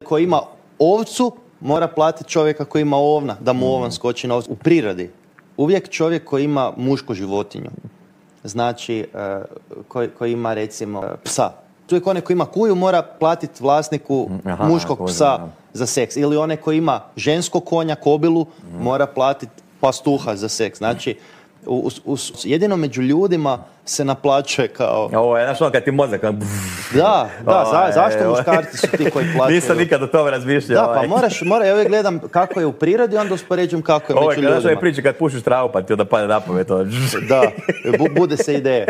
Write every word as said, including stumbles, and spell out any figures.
Koji ima ovcu mora platiti čovjeka koji ima ovna, da mu ovan skoči na ovcu. U prirodi uvijek čovjek koji ima mušku životinju, znači koji, koji ima recimo psa, uvijek onaj koji ima kuju mora platiti vlasniku Aha, muškog psa da. za seks. Ili onaj koji ima žensko konja, kobilu, mm. mora platiti pastuha za seks. Znači, u, u, jedino među ljudima se naplaćuje kao... Ovo je, znaš ono kad ti mozak... Da, da, za, zašto muškarci su ti koji plaćaju? Nisam nikad o tome razmišljao. Da, pa moraš, mora, ja uvijek gledam kako je u prirodi, onda uspoređujem kako je među ljudima. Ovo je kada priči kad pušiš travu pa ti onda padne na pamet. Da, bude se ideje.